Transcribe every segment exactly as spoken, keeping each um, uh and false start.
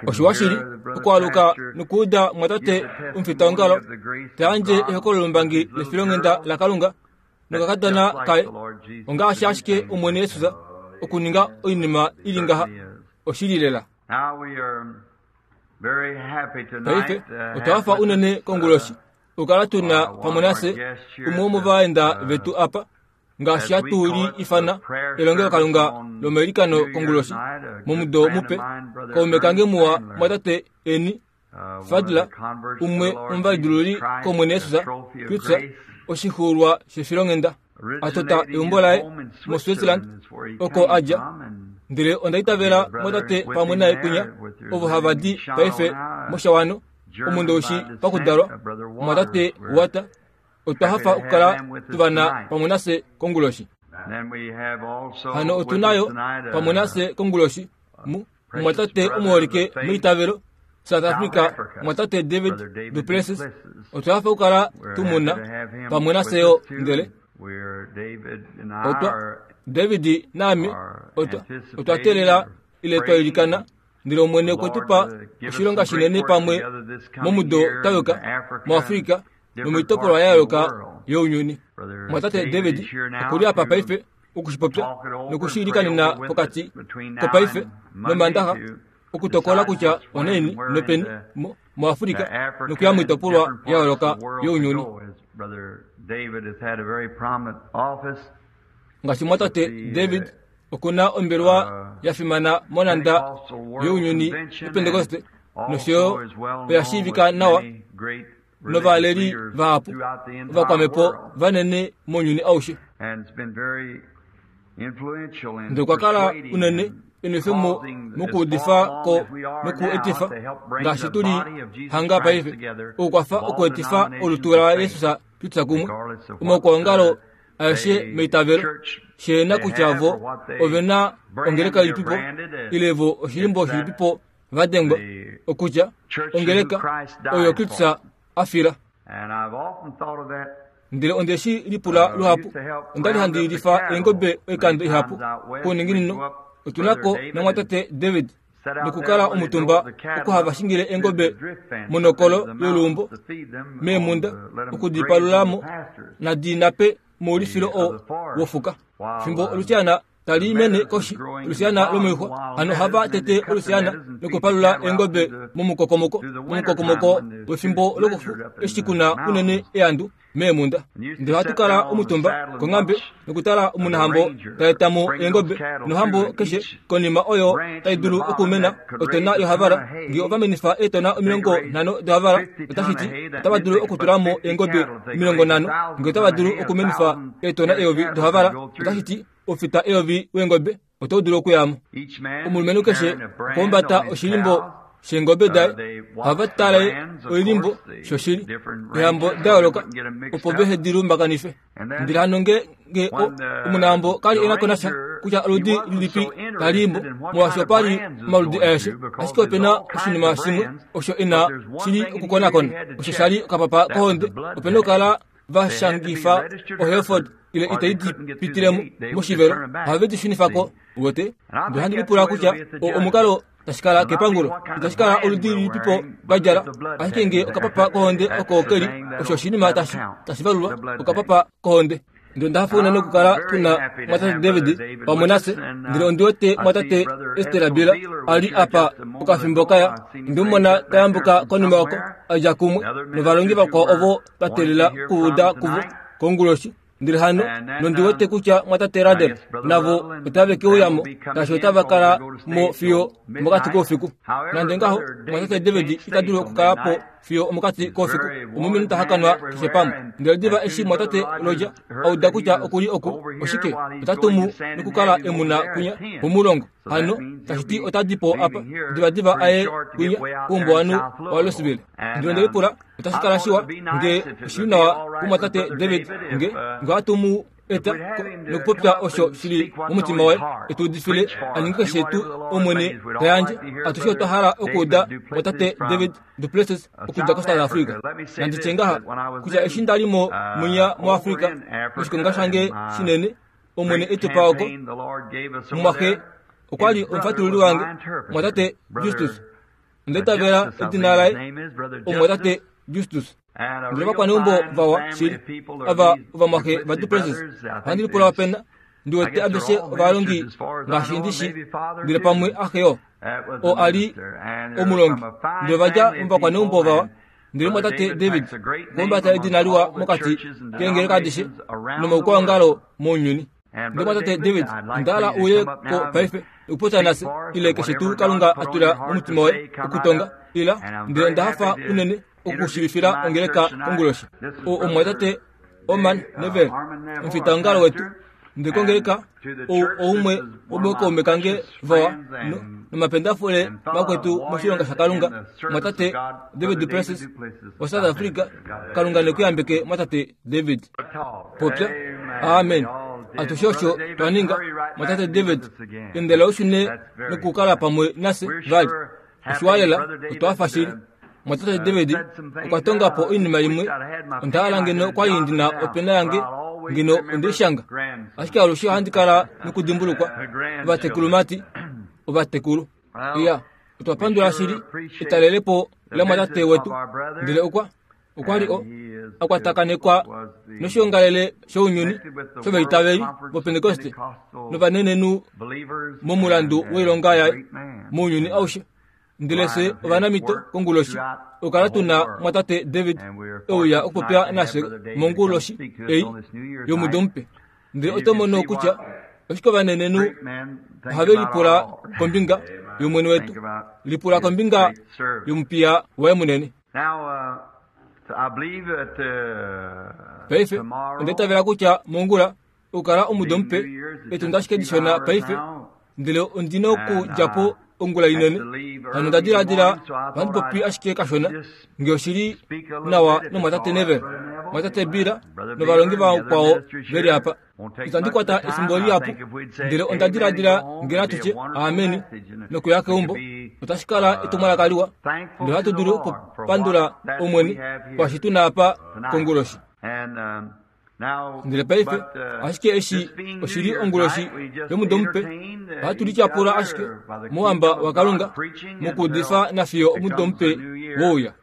Oshiwashili okwaaluka nokuuda mwatate omufitaongalo tayandje ehokololombangi lefilonghenda laKalunga nokakadona kaye ongaashi ashike Omwene Jesus okuninga oinima ili ngaha oshili lela. Paife otwa hafa unene konguloshi okukala tuna pamwe nafye umwe womovaenda vetu apa ngaashi hatu li ifana elongelokalunga lomailikano konguloshi momudo mupe. Kaume kange muwa mwatate eni Fadla, umwe omuvalidululi kOmwene Jesus Kristus, oshixuulwa shefilonghenda, a tota eumbo laye moSwitzerland oko a dja. Ndele onda itavela mwatate pamwe naye kunya ovo hava di paife moshawano omundowishi pakudalwa mwatate Wata. Otwa hafa okukala tuvana pamwe nafye konguloshi. Hano otu nayo pamwe nafye konguloshi mu mwatate omuholike meitavelo South Africa mwatate David du Plessis. Otwa hafa okukala tumuna pamwe nafye yo. Ndele otwa David naame otwa otwa teelela ile twa ilikana ndele Omwene okwe tu pa oshilonga shinene pamwe momudo taweka muAfrika nomoitopolwa ya yooloka younyuni. Mwatate David okuli apa paife okushipopya nokushiilikanena pokati kopaife nomandaxa okutokola kutya onaini nopeni muAfrika nokuya moitopolwa ya yooloka younyuni. Ngaashi mwatate David okuna ombelewa ya fimana monanda younyuni yoPentekoste noshoyo oya shiivika nawa novaleli vahapu ovakwamepo vanene mounyuni aushe. Ndele okwa kala unene enwefemo mokuudifa ko nokuetifa ngaashi tuli hanga paife okukwafa okuetifa olutu laJesus Kristus kumwe omaukwaongalo aeshe meitavelo sheena kutya vo ovena ongeleka ilipipo ile vo oshilimbo shilipipo vadengwa okutya ongeleka oyo Kristus a fila. Ndele onde shi lipula luhapu. Onda li handi lifa eengobe oikando ihapu kouninginino. Otunako namwatate David nokukala omutumba okuhava shingile eengobe monokolo yoluumbo meemunda okudipalulamo nadi nape moulifilo oo wofuka. Fimbo olusiana tali mene koshi olusiana lomoixwa, hano ohava tete olusiana nokupalula eengobe momukokomoko momukokomoko wefimbo lokufu eshi kuna unene eandu meemunda. Ndele ohatu kala omutumba konghambe nokutala omunahambo ta etamo eengobe nohambo keshe konima oyo tai dulu okumena otona yohavala. Ngee ovamenifa eetona omilongo nhano dohavala, otashi ti otava dulu okutulamo eengobe omilongo nhano. Ngee otava dulu okumenifa eetona eyovi dohavala, otashi ti oufita eyovi weengobe otau dulu okuyamo. Omulumenhu keshe okwa oshilimbo sheengobe daye. Ohava tale oilimbo shoshili eehambo da yooloka opo vehe di lumbakanife. Ndele hano ngeenge omunahambo kali ena ko nasha kutya oludi lilipi tali imbo, molwaashi opa li omaludi aeshe, ashike opena oshinima shimwe osho ena shili okukonakona, osho shali okapapa kohonde. Opena okukala vashangifa oHereford ile itai di pitilemo moshivelo, ohave di shunifako wote. Ndele ohandi lipula kutya omukalo tashi kala kepangulo itashi kala oludi lilipipo vadjala, ashike ngee okapapa kohonde oko keli osho oshinima tashi tashi valulwa okapapa kohonde. Ndele onda hafa unene okukala tuna mwatate David pamwe nafye. Ndele ondi wete mwatate Estela Bila ali apa okafimbo kaya. Ondemumona tayambuka konima oko a dja kumwe novalongi vakwao ovo va teelela okuuda kuvo konguloshi. Ndele hano nondi wete kutya mwatate Radel navo otave ke uyamo ngaashi otava kala mo fiyo omokati koufiku. Nande ngaho mwatate David ita dulu okukala po fiyo omokati koufiku, omulumenhu ta hakanwa keshe pamwe. Ndele diva eshi mwatate Roger a uda kutya okuli oku, oshike ota tumu nokukala emuna kunya pomulongo. Hano tashi ti ota di po apa divadiva aye kunya koumbuwanhu waLouisville. Ndele onde lipula otashi kala shiwa ngee oshili nawa kumwatate David nge nge ohatu mu eta nokupopya osho shili momutima waye etu udifile a ninge keshe tuu Omwene ta yandje. Atushe otwa hala okuuda mwatate David du Plessis okudja koSouth Africa. Nandi tye ngaha kutya eshi nda li mo munya muAfrika moshikonga shange shinene, Omwene e tu pa oko mumwaxe Okwa li omufatululi wange, Mwatate Justus. Onda itavela edina laye Omwatate Justus. Ndele ovakwaneumbo vawa shili, ava ovamwaxe vaDuplessis. Ohandi lipula opena ndi wete aveshe ovalongi ngaashi ndishi, ndele pamwe axe yo oo a li omulongi. Ndele ova dja movakwaneumbo vawa. Ndele Mwatate David okwa edina liwa mokati keengeleka adishe nomaukwaongalo mounyuni. Ndele Mwatate David, onda hala uye ko paife okupopya nafye, ile keshe tuu Kalunga a tula momutima woye okutonga, ila. Ndele onda hafa unene okushivifila ongeleka konguloshi. Omwatate Orman Neville, omufitaongalo wetu, ndele kongeleka oumwe womookaume kange vawa nomapendafule makwetu moshilonga shaKalunga, Mwatate David Duplessis waSouth Africa. Kalunga nekuyambeke Mwatate David. Popya amen. Atushe osho twa ninga. Mwatate David, endela ushune nokukala pamwe nafye vali. Oshiwalela otwa hafa shili. Mwatate David okwa tonga po oinima imwe. Onda hala ngeno kwali ndina opena yange ngeno ondeishanga, ashike alushe ohandi kala nokudimbulukwa ovatekulumati ovatekulu. Iya, otwa pandula shili etalelepo lamwatate wetu. Ndele okwa okwa li o akwatakanekwa noshiongalele shounyuni shovaitaveli voPentekoste novanenenhu momulandu woilonga yaye mounyuni aushe. Ndele fye ovanamito konguloshi okukala tuna Mwatate David euya okupopya nafye monguloshi ei yomudo mupe. Ndele oto mono kutya oshike ovanenenhu ohave lipula kombinga yOmwene wetu, lipula kombinga yomupiya waye munene. Paife onda itavela kutya mongula okukala omudo mupe etunda ashike dishona paife, ndele ondina okudja po ongula inene. Hano onda diladila ohandi popi ashike kashona nge oshili nawa nomwatate Neville, Mwatate Bira novalongi vakwao veli apa. Itandi kwata efimbo lihapu, ndele onda diladila nge natu tye ameni nokuya keumbo. Otashi kala etumwalaka liwa, ndele ohatu dulu okupandula Omwene kwaashi tuna apa konguloshi. Ndele paife ashike eshi oshili onguloshi yomudo mupe, ohatu lityapula ashike mouhamba waKalunga mokuudifa nafiyo omudo mupe wouya.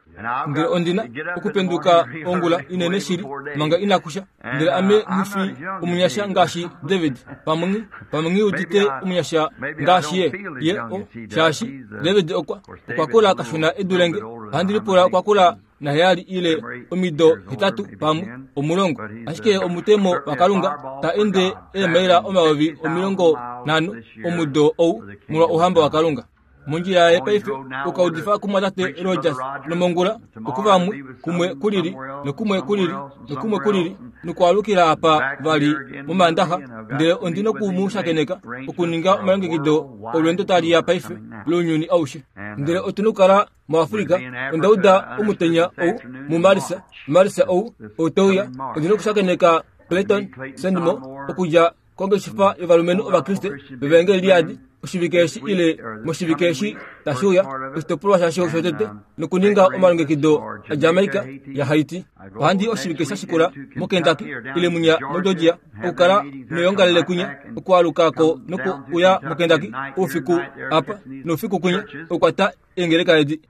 Ndele ondina okupenduka ongula inene shili manga inakusha. Ndele ame nghifi omunyasha ngaashi David, pamwe pamwe nghi udite omunyasha ngaashi ye ye o shaashi David okwa okwa kula kashona edulenge. Ohandi lipula okwa kula naheyali ile omido hetatu pamwe omulongo, ashike omutemo waKalunga ta ende eemaila omayovi omilongo nhano omudo ou molwa ouhamba waKalunga. Mondjila yaye paife okaudifa kuMwatate Rogers nomongula okuvamwe kumwe kulili nokumwe kulili nokumwe kulili nokwaalukila apa vali momandaxa. Ndele ondina okumushakeneka okuninga omalongekido olweendo taliya paife lounyuni aushe. Ndele otuna okukala muAfrika. Onda uda omutenya ou muMarisa, Marisa ou outouya. Ondina okushakeneka Clayton Sandmo okudja kongeshefa yovalumenhu Ovakriste vevaengeli liyadi oshivike eshi ile moshivike eshi tashi uya, oshitopolwa shasho shotete, nokuninga omalongekido aJamaica yaHaiti. Ohandi oshivike shashikula moKentucky ile munya moGeorgia okukala noyoongalele kwinya, okwaalukako nokuuya moKentucky oufiku apa noufiku kwinya okukwata eengeleka edi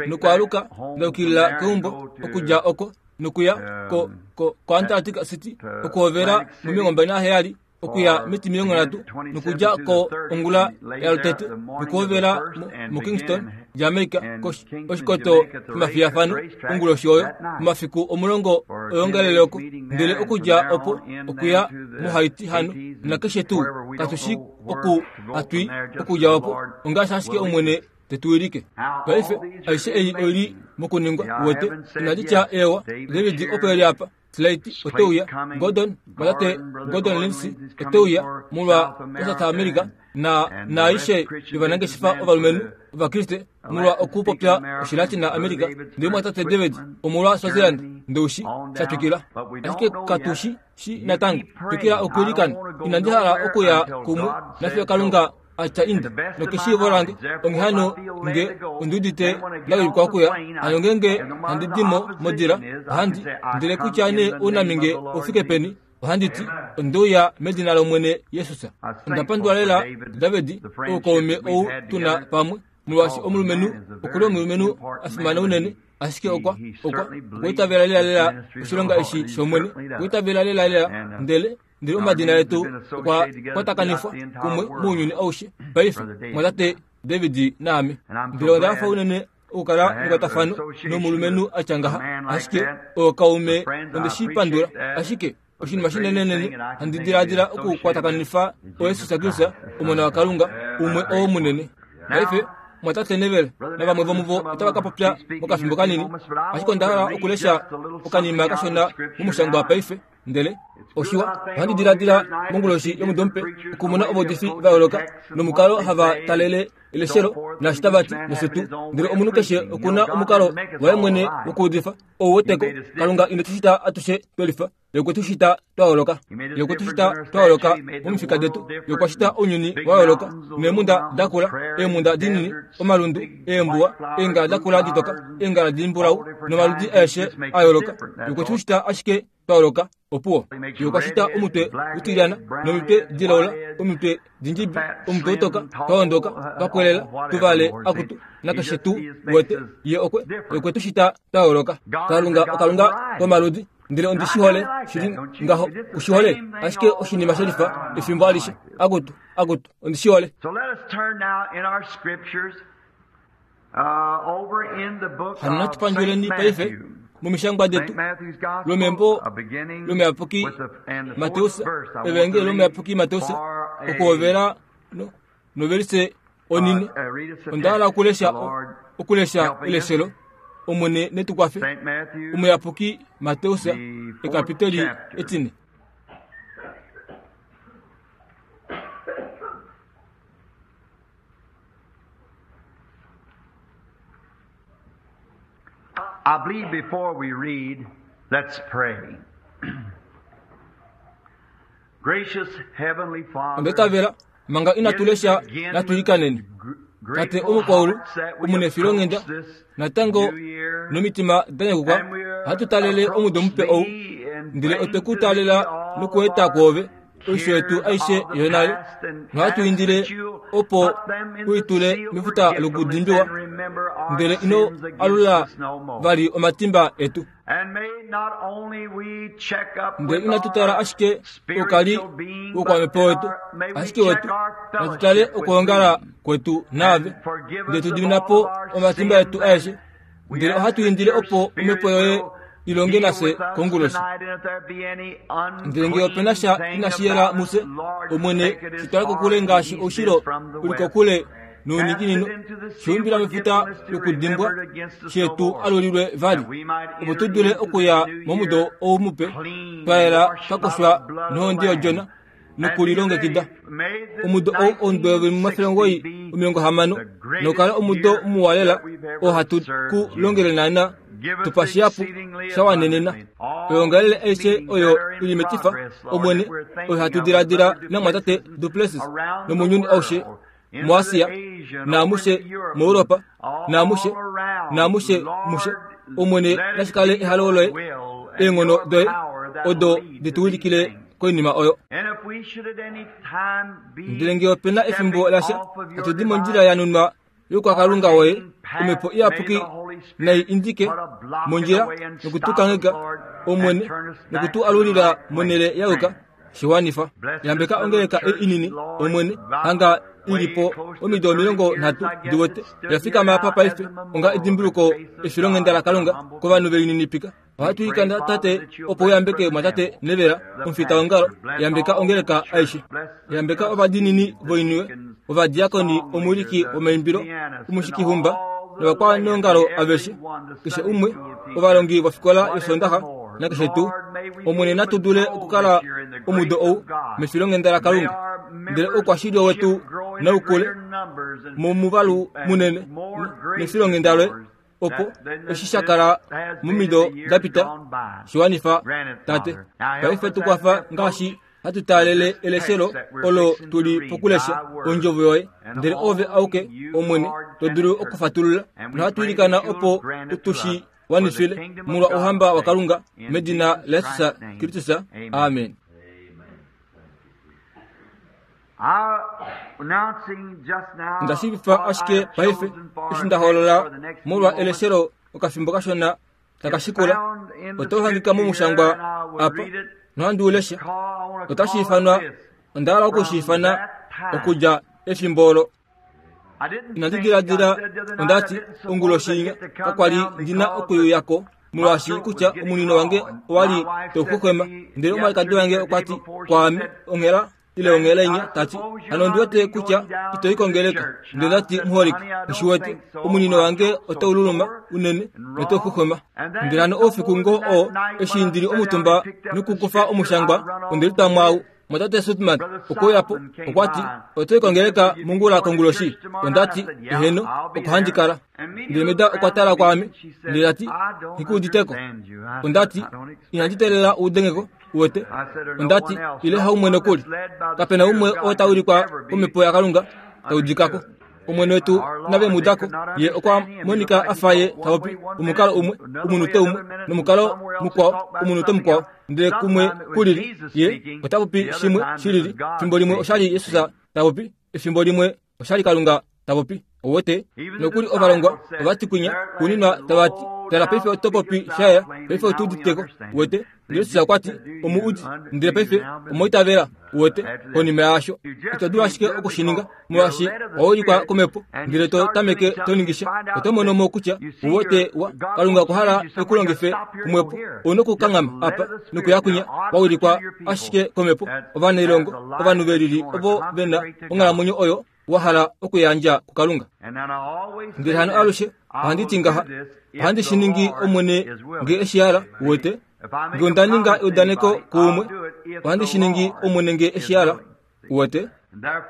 nokwaaluka ndayukilila keumbo okudja oko nokuya ko ko koAntarctic City okuhovela momilongo mbali naheyali okuya meti milongo nhatu nokudja ko ongula yalutete nokuhovela moKingston Jamaica oshikoto shomafiyafano onguloshi oyo momafiku omulongo oyoongalele oko. Ndele okudja opo okuya moHaiti hano nakeshe tuu katushi oku hatui okudja opo ongaashi ashike Omwene tetuwilike. Paife aishe ei oili mokuningwa uwete. Inandi tya eewa David opo eli apa, Slate oteuya, Gordon, Mwatate Gordon Lindsay oteuya molwa koSouth America na naaishe yovanangeshefa ovalumenhu Ovakriste molwa okupopya Oshilatina America. Ndele Mwatate David omolwa Swaziland ndoushi shatwikila, ashike katushi shi natango. Twikila okwiilikana. Inandi hala okuya kumwe nafiyo Kalunga atya inda nokeshiivo lange. Onghee hano nge ondiudite ndawilikwa okuya, hano ngeenge handi dimo modila ohandi, ndele kutya nee ounaminge oufike peni, ohandi ti Ondeuya medina lOmwene Jesus. Onda pandula lela David oukaume ou tuna pamwe, molwaashi omulumenhu okuli omulumenhu a fimana unene, ashike okwa okwa okwaitavela lela lela oshilonga eshi shOmwene, okwaitavela lela lela, ndele ndele omadina etu okwa kwatakanifwa kumwe mounyuni aushe paife, mwatate David naame. Ndele onda hafa unene okukala nekwatafano nomulumenhu atya ngaha, ashike ookaume onde shi pandula, ashike oshinima shinenenene handi diladila okukwatakanifa oYesus Kristus, Omona waKalunga, umwe oo munene. Paife mwatate Neville navamwe vomuvo otava ka popya mokafimbo kanini, ashike onda hala okulesha okanima kashona momushangwa paife. Ndele oshiwa ohandi diladila monguloshi yomudo mupe okumona ovaudifi va yooloka nomukalo hava talele eleshelo naashi tava ti nosho tuu. Ndele omunhu keshe okuna omukalo waye mwene wokuudifa ou weteko. Kalunga ine tu shita atushe twelifa, ye okwe tu shita twa yooloka, ye okwe tu shita twa yooloka momifika detu, ye okwa shita ounyuni wa yooloka neemhunda dakula, eemhunda dinini, omalundu, eembuwa, eengala dakula ditoka, eengala dimbulau nomaludi aeshe a yooloka. Ye okwe tu shita ashike twa yooloka opuwo. Ye okwa shita omutwe utilyana nomitwe dilaula, omitwe dindjibi, omutwe utoka, twaondoka, twapwelela, tuvale akutu nakeshe tuu wete. Ye okwe okwe tu shita twa yooloka. Kalunga oKalunga komaludi. Ndele ondi shi hole shili ngaho, ku shi hole ashike oshinima shelifa efimbo alishe. Akutu, akutu, ondi shi hole. Hano natu panduleni paife momishangwa detu lomembo lomuyapuki Mateus, evangeli lomuyapuki Mateus, okuhovela novelise onine. Onda hala okulesha okulesha eleshelo Omwene netukwafe. Omuyapuki Mateus ekapiteli etine. I believe before we read, let's pray. Gracious Heavenly Father, Ondetavela manga inatulesha natulikaneni. Tate omukwaulu omunefilonghenda natango nomitima danyakukwa ohatu talele omudo mupe ou, ndele otwe ku talela nokueta kwoove oisho yetu aishe yonale, nohatu indile opo uitule mefuta lokudimbiwa, ndele ino alula vali omatimba etu. Ndele inatu tala ashike oukali wokwamhepo wetu, ashike wetu natu tale okwoongala kwetu naave, ndele tu dimina po omatimba etu aeshe. Ndele ohatu indile opo omhepo yoye ilonge nafye konguloshi. Ndele ngee opena sha inashi yela mufye, Omwene shitwale kokule ngaashi oushilo uli kokule nouninginino, shiumbila mefuta lokudimbwa shetu alulilwe vali, opo tu dule okuya momudo ou mupe twayela twakoshwa nohonde yOdjona nokulilongekida. Omudo ou omudo womafele omugoyi omilongo hamano nokukala omudo muwa lela oo hatu ku longele naana tupashihapu shawanenena. Oyoongalele aishe oyo ili metifa, Omwene, oyo hatu diladila namwatate Duplessis nomounyuni aushe, muAsia, naamushe muEuropa, naamushe, naamushe mushe. Omwene, nashikale ehalo loye, eenghono doye odo dituwilikile koinima oyo. Ndele ngee opena efimbo lasha hatu di mondjila ya nunwa yokwakalunga woye, omhepo iyapuki nai indike mondjila nokutukangheka, Omwene, nokutu alulila monhele ya yuka. Shiwanifa. Yambeka ongeleka ei inini, Omwene, hanga ilipo omido omilongo nhatu diwete yafikama apa paife onga edimbuluko efilonghenda laKalunga kovanhu velininipika. Ohatu ikanda Tate opo uyambeke mwatate Nevela omufitaongalo, yambeka ongeleka aishe, yambeka ovadiinini voiniwe, ovadiakoni, omuwiliki womaimbilo, omushikihumba novakwaneongalo aveshe, keshe umwe, ovalongi vofikola yOsoondaxa nakeshe tuu. Omwene natu dule okukala omudo ou mefilonghenda laKalunga, ndele oukwashilyo wetu naukule momuvalu munene nefilonghenda loye, opo eshi sha kala momido dapita shiwanifa. Tate, paife tukwafa ngaashi hatu talele eleshelo olo tuli pokulesha ondjovo yoye, ndele ove auke, Omwene, to dulu okufatulula, nohatu ilikana opo utushi wanifile molwa ouhamba waKalunga medina laJesus Kristus. Amen. Onda shiivifa ashike paife eshi nda hoolola molwa eleshelo okafimbo kashona takashikula. Oto hangika momushangwa apa nohandi ulesha. Otashi ifanwa, onda hala oku shi ifana okudja efimbo olo. Inandi diladila, ondati onguloshi kakwali ndina okuyuyako molwaashi kutya omunino wange owali tauxuxwema. Ndele omwalikadi wange okwati kwaame onghela ile onghela inya tati hano ondi wete kutya ito ikongeleka. Ndele ondati muholike, oshiwete omunino wange otaululuma unene notauxuxwema. Ndele hano oufiku ngoo oo eshi ndili omutumba nokukufa omushangwa ondelitwa mwaau. Mwatate Sutman okweyapo okwati oto ikongeleka mongula konguloshi. Ondati eheno oko handi kala. Ndele Meda okwa tala kwaame ndele tati hikuuditeko. Ondati inandi teelela oudengeko uwete. Ondati ile haumwe nokuli kapena umwe oo taulikwa komhepo yaKalunga taudikako. Omwene wetu nave mudako ye okwa monika afa ye tapopi omukalo umwe omunute umwe nomukalo mukwao omunute mukwao ndele kumwe kulili ye otapopi shimwe shilili. Efimbo limwe oshali Jesus tapopi, efimbo limwe oshali Kalunga tapopi. Owete nokuli ovalongwa ovati kwinya kuninwa tavati tala paife otopopi shaya paife otuuditeko uwete. Ndele Jesus okwati omuudi ndele paife omoitavela uwete. Konima yaasho ito dulu ashike okushininga molwaashi owaulikwa komhepo ndele to tameke to ningisha. Oto mono mo kutya uwete wa Kalunga okwa hala ekulongife kumwepo. Ouna okukanghama apa nokuya kwinya waulikwa ashike komhepo. Ovanailongo ovanhu velili ovo vena onghalamwenyo oyo wa hala okuyandja kuKalunga. Ndele hano alushe ohandi ti ngaha, ohandi shi ningi Omwene nge eshi hala uwete. Nge onda ninga eudaneko kuumwe, ohandi shi ningi Omwene nge eshi hala uwete.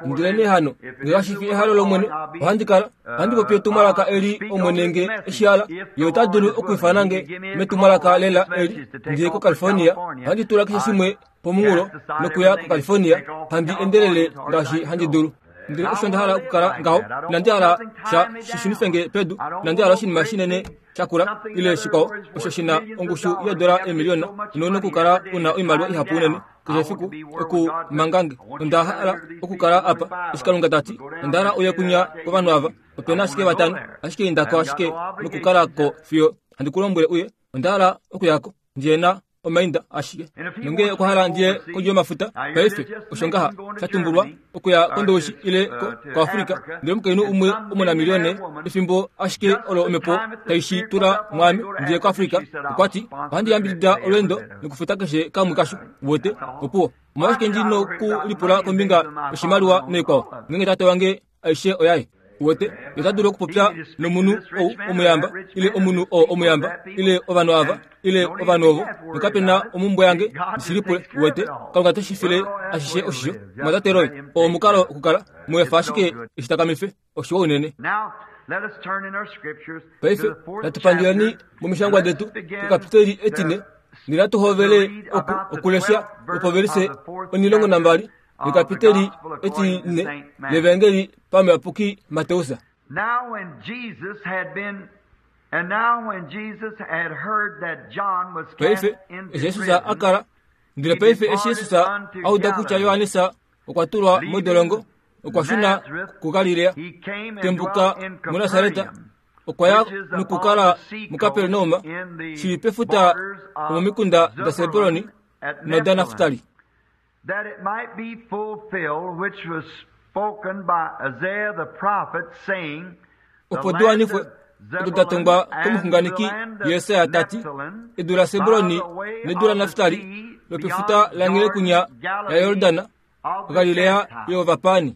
Ndele nee hano nge kashifi ehalo lOmwene, ohandi kala ohandi popi etumwalaka eli Omwene nge eshi hala. Ye ota dulu okwiifana nge metumwalaka lela eli ndiye koCalifornia. Ohandi tula keshe shimwe pomunghulo nokuya koCalifornia, handi endelele ngaashi handi dulu. Ndele osho onda hala okukala ngaho. Inandi hala sha shishunife nge pedu. Inandi hala oshinima shinene shakula ile shikwao osho shina ongushu yeedola eemiliyona. Ino okukala una oimaliwa ihapu unene keshe efiku okumangange. Onda hala okukala apa eshi Kalunga tati onda hala uye kwinya kovanhu ava. Opena ashike vatano, ashike indako ashike nokukala ko fiyo handi ku lombwele uye. Onda hala okuyako ndiyena omainda ashike. Nonge okwa hala ndiye kondje yomafuta paife osho ngaha shatumbulwa okuya kondoushi ile koAfrika. Ndele omukainhu umwe omunamiliyone efimbo ashike olo omhepo taishi tula mwaame ndiye koAfrika okwati ohandi yambidida olweendo nokufuta keshe kamwe kasho uwete. Opuwo omolwashike ndi nokulipula kombinga yoshimaliwa noikwao ngeenge tate wange aishe oyaye uwete. Ota dulu okupopya nomunhu ou omuyamba ile omunhu oo omuyamba ile ovanhu ava ile ovanhu ovo nokapena omumbwe yange ndishilipule uwete. Kalunga teshi file ashishe oshisho. Mwatate Roy, oo omukalo okukala muefa ashike eshitakamife oshiwa unene. Paife natupangileni momishangwa detu kokapiteli etine ndele natuhovele oku okulesha opovelise onilongo nambali nekapiteli etine levangeli pamuyapuki Mateus. Now when Jesus had been and now when Jesus had heard that John was cast Paife into Jesus prison, akala ndele paife eshi Jesus auda kutya Johannes okwa tulwa modolongo okwa shuna kuGalilea he came and tembuka dwelt in muNasareta Capernaum, okwa ya which is upon nokukala the sea muKapernaum coast in the shili pefuta borders of omomikunda daSebuloni Zebulun at noda Nephthalim, Naftali. that it might be fulfilled which was spoken by Isaiah the prophet, saying, The Opo land diwanifwe of odo da Zebulun tongwa and komuxunganeki the land of Yesaya tati Nephthalim, edu laSebuloni by the way nedu la of the Naftali sea, lopefuta beyond langhele kunya Jordan, ya Galilee Yordana of the Galilea Gentiles. yovapani.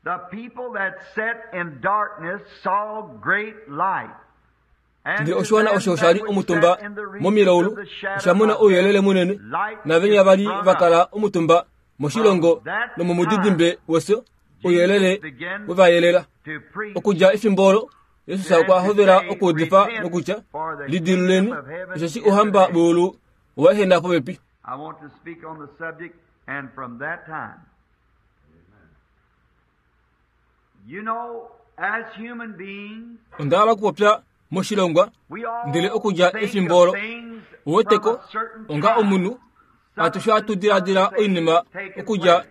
The people that sat in darkness saw great light. And Ndele to oshiwana them osho that osha li which omutumba sat in the regions momilaulu of the shadow osha mona of ouyelele death, munene light navenya is vali sprung vakala up. omutumba moshilongo nomomudidimbe wefyo ouyelele wevayelela. To preach Okudja efimbo olo Jesus okwa hovela okuudifa nokutya lidiluleni osheshi ouhamba weulu owa ehena popepi. I want to speak on the subject, and from that time. You know, as human beings, Onda hala okupopya moshilongwa we all ndele okudja think efimbo of olo things uweteko from a certain onga time. omunhu atushe hatu diladila oinima okudja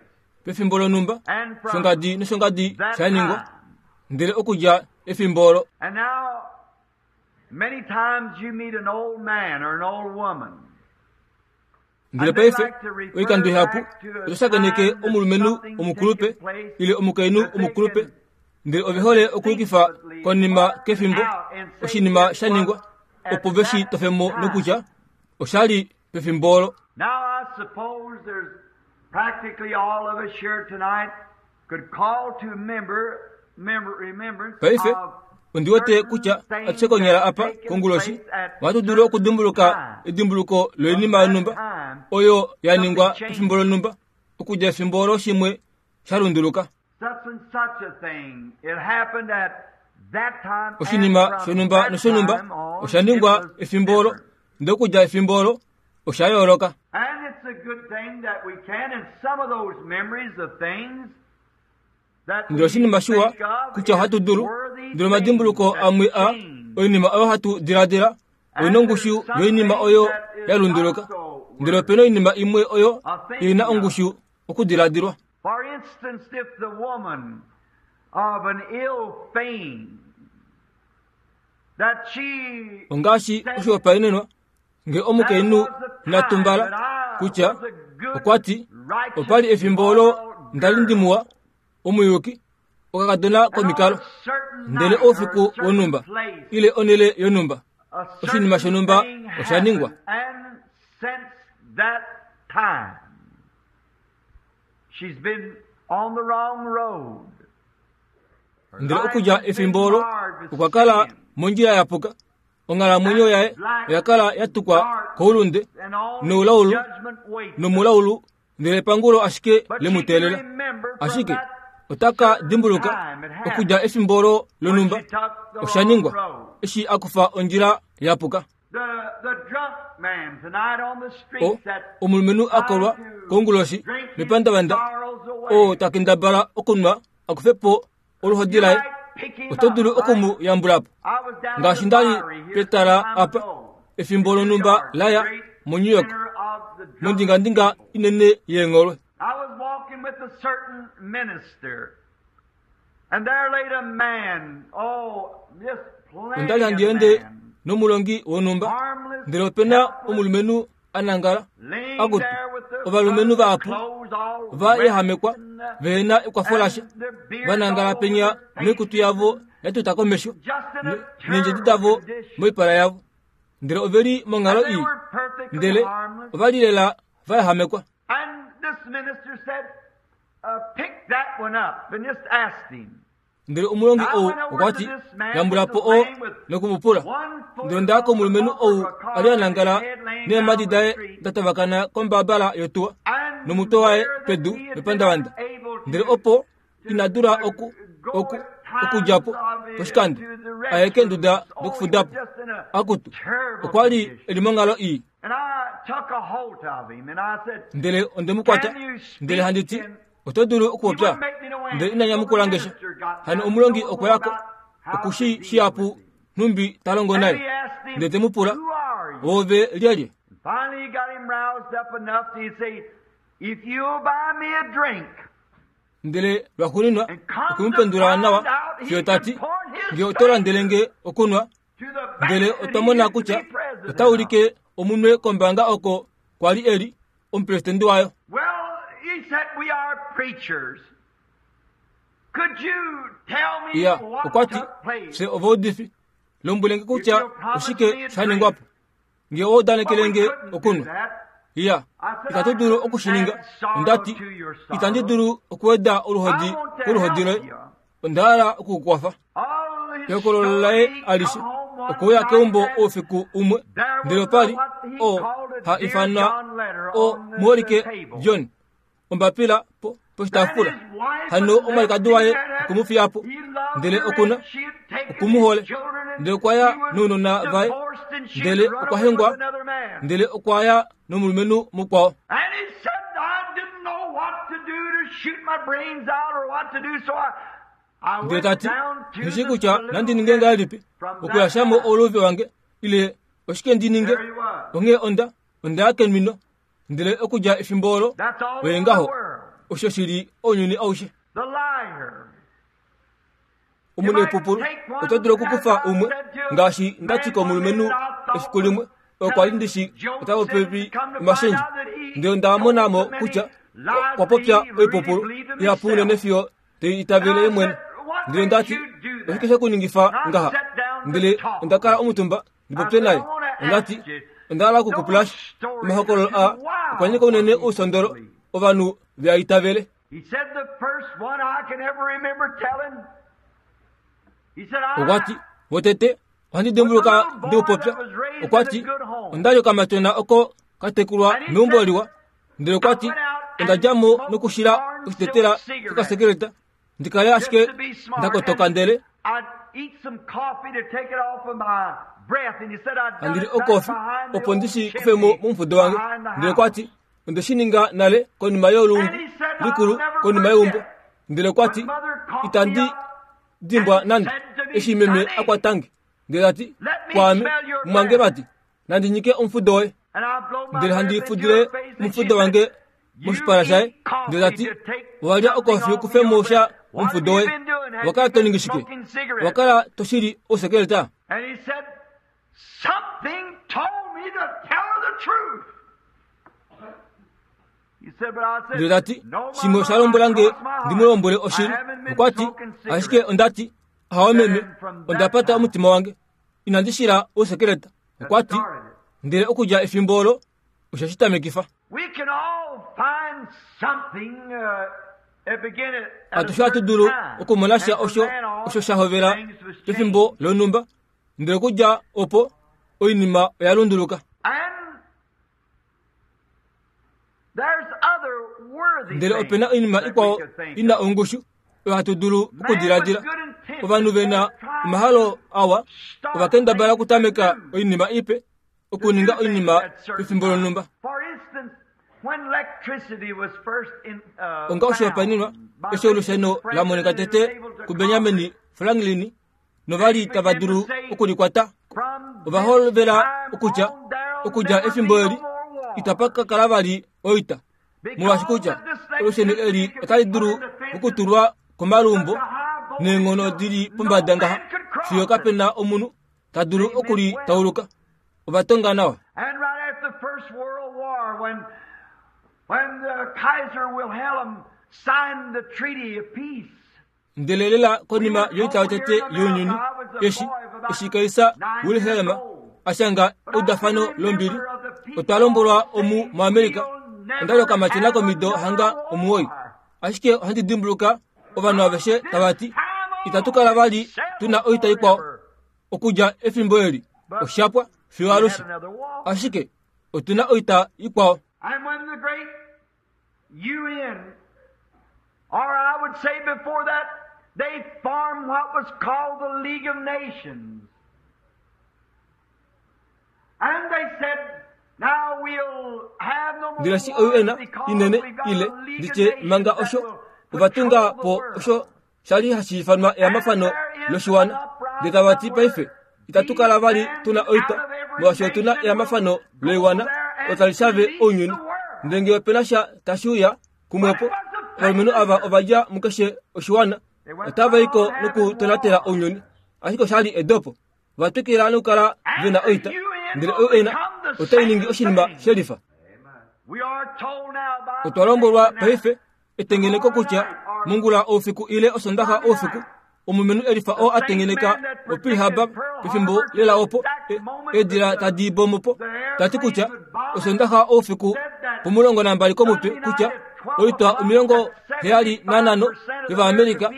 pefimbo lonumba And from shongadi noshongadi that shaningwa time. ndele okudja efimbo olo And now, many times you meet an old man or an old woman. ndele paife oikando ihapu oto shakeneke omulumenhu omukulupe ile omukainhu omukulupe ndele ove hole okuyukifa konima kefimbo oshinima sha ningwa opo ve shi tofemo nokutya oshali pefimbo olo. Now I suppose there's practically all of us here tonight could call to member, member remembrance Paife of ondi wete kutya atushe konyala apa konguloshi ohatu dulu okudimbuluka edimbuluko loinima yonumba oyo ya ningwa pefimbo lonumba okudja efimbo olo shimwe sha lunduluka. such and such a thing. It happened at that time. And Oshinima from shonumba that noshonumba time on, osha ningwa it was efimbo olo different. ndele okudja efimbo olo osha yooloka. And it's a good thing that we can, and some of those memories of things that Ndele oshinima shiwa we think of kutya ohatu is dulu worthy ndele omadimbuluko things that amwe a change. oinima oyo hatu diladila oina ongushu yoinima oyo ya lunduluka ndele opena oinima imwe oyo ina ongushu okudiladilwa. For instance, if the woman of an ill fame that she Ongaashi oshihopaenenwa nge omukainhu natumbala kutya okwati opali efimbo olo ndali ndimuwa omuyuki okakadona komikalo ndele oufiku wonumba ile onele yonumba oshinima shonumba osha ningwa. And since that time, she's been on the wrong road. Her Ndele life okudja has been efimbo olo marred with okwa kala sin. mondjila ya puka onghalamwenyo yaye oya kala ya tukwa koulunde And all noulaulu judgment waits. nomulaulu ndele epangulo ashike But she lemu can teelela. remember from Ashike that otaka dimbuluka time it happened okudja efimbo olo lonumba when she took the osha wrong ningwa road. eshi akufa ondjila ya puka. The, the drunk man tonight on the O streets that omulumenhu akolwa konguloshi drink his mepandavanda sorrows away. oo takendabala okunwa akufepo oluhodi You laye might pick him oto up, dulu right? okumu yambulapo I was down at ngaashi the ndali Bowery here petala some time apa ago. efimbo lonumba laya Great mu New York center of the drunk mondingandinga inene yeengholwe. I was walking with a certain minister, and there laid a man, oh, just Ondali plenty handi of ende man, nomulongi wonumba harmless, ndele opena helpless, omulumenhu anangala laying akutu there with the ovalumenhu vahapu clothes all va wet ehamekwa and, uh, vehena ekwafo lasha and their beards vanangala all penya over their noikutu yavo faces, yatuta komesho just in a ne- neendjedi terrible davo condition. moipala yavo ndele oveli monghalo And they ii were perfectly ndele harmless. ova li lela va ehamekwa. And this minister said, uh, pick that one up, and just asked him. Ndele omulongi ou okwa ti yambulapo oo nokumupula ndele onda ya komulumenhu ou ali anangala neemhadi daye da tavakana kombabala yotuwa And nomutwe waye where that pedu he had been mepandavanda unable to- ndele opo ina dula oku oku okudjapo poshikando aye keenduda dokufudapo akutu okwa li eli monghalo ii. And I took a hold of him and I said, Ndele onde mu kwata ndele handi ti oto dulu okupopya ndele ina nyamukula ngesha hano omulongi okwa yako okushi shihapu nhumbi ta longo and naye he asked him, ndele te mu pula Who are you? woove lyelye. Finally, he got him roused up enough to say, If you'll buy me a drink, Ndele lwaxuuninwa and come okwe mu to pendula find nawa out, he fiyo ta ti could point his nge oto landele nge okunwa to the bank ndele that he otwa mona used to kutya be president ota of. ulike omunwe kombaanga oko kwali eli omupresidenti wayo. Well, he said, We are preachers. Could you tell me Iya what okwa ti took place? fye ovaudifi lombwele nge kutya oshike sha ningwapo nge owa But udanekele we nge couldn't do okunwa. that. Iya I said, itatu I dulu couldn't okushininga add sorrow ondati to your sorrow. itandi dulu okuweda oluhodi I want to koluhodi help loye you. onda hala okukukwafa. All his Ehokololo laye story, he alishe come home one okwe uya keumbo night and oufiku umwe there ndele was opali what he oo called a ha dear ifanwa John letter o on the, the muholike table. John ombapila po Then poshitaafula his wife hano was left. omwalikadi He waye had had, okumufiyapo he loved ndele her okuna and she had taken his okumuhole children and ndele okwa ya he was nounona vaye divorced and she'd ndele run okwa away with hengwa another man. ndele okwa ya nomulumenhu mukwao. And he said, I didn't know what to do to shoot my brains out or what to do, so I, I Ndele went ta ti down to ndishi the kutya nandi saloon ninge and ngahelipi from that okuyashamo time, ouluvi wange ile oshike ndi ninge there he was. onghee onda onda ya kenwino ndele okudja efimbo olo That's all oye over the ngaho world. osho shili ounyuni aushe. Omunepupulu oto dulu okukufa umwe ngaashi ndati komulumenhu efiku limwe okwa li ndishi ota popi omashendjo, ndele onda mona mo kutya okwa popya oipupulu ihapu unene fiyo tei itavele ye mwene. Ndele ndati oshike shakuningifa ngaha? Ndele onda kala omutumba ndipopye naye. Ondati onda hala okukupulasha omahokololo a okwa nyika unene ousondolo ovanhu veaitavele. Okwati votete ohandi dimbuluka ndiupopya. Okwati ondali okamatona oko katekulwa meumbo liwa, ndele okwati onda dja mo nokushila oshitetela shokasekeleta ndikale ashike ndakotoka ndele handili okofi opo ndishi kufemo momufudo wange. Ndele okwati onde shi ninga nale konima yolungu likulu konima yeumbo. Ndele okwati itandi dimbwa nande eshi meme akwatange. Ndele ati kwame mwange vati nandi nyike omufudo woye. Ndele handi fudile omufudo wange moshipala shaye. Ndele ati walya okofi kufemo sha omufudo woye. Wakala to ningi shike? Wakala to shili osekeleta. Ndele ati shimwe osha lombwelange ndimulombwele oshili. Okwati ashike ondati ahawe meme ondapata omutima wange inandi shila osekeleta. Okwati ndele okudja efimbo olo osha shitamekifa. Atushe ohatu dulu okumona sha osho osho sha hovela pefimbo lonhumba, ndele okudja opo oinima oya lunduluka. Ndele opena oinima ikwao ina ongushu oyo hatu dulu okudiladila. Ovanhu vena omahalo awa ova kendabala okutameka oinima ipe, okuninga oinima pefimbo lonhumba. Onga oshihopaenenwa, eshi olusheno la monika tete kuBenjamin Franklin novali tava dulu okulikwata, ova hovela okutya okudja efimbo eli itapa ka kala vali oita, molwaashi kutya olusheno eli otali dulu okutulwa komalumbo neenghono dili pombada ngaha fiyo kapena omunhu ta dulu okulitauluka. Ova tonga nawa. Ndele lela konima yoita yotete younyuni, eshi eshi Kaisa Wilhelm ashanga eudafano lombili, otwa lombwelwa omu muAmerika. Ondali okamatyona komido hanga omuwoi, ashike ohandi dimbuluka ovanhu aveshe tava ti itatu kala vali tuna oita ikwao okudja efimbo eli oshapwa fiyo alushe. Ashike otuna oita ikwao. Or I would say before that, they formed what was called the League of Nations. And they said, now we'll have no more wars because we've got a League of Nations that will ovatunga po osho shali hashi ifanwa eamafano loshiwana. Ndele tava ti paife itatu kala vali tuna oita molwaashi otuna eamafano loiwana otalishave ounyuni. Ndele ngee opena sha tashi uya kumwepo, ovalumenhu ava ova dja mukeshe oshiwana otava iko nokutonatela ounyuni. Ashike oshali edopo, ova twikila nokukala vena oita, ndele oyo otai ningi oshinima shelifa. Otwa lombwelwa paife etengeneko kutya mongula oufiku ile osondaxa oufiku omulumenhu elifa oo atengeneka oPearl Harbor pefimbo lela opo eedila tadi bomopo, tati kutya osondaxa oufiku pomulongo nambali komutwe kutya oitwa omilongo heyali nanhano yOvaamerica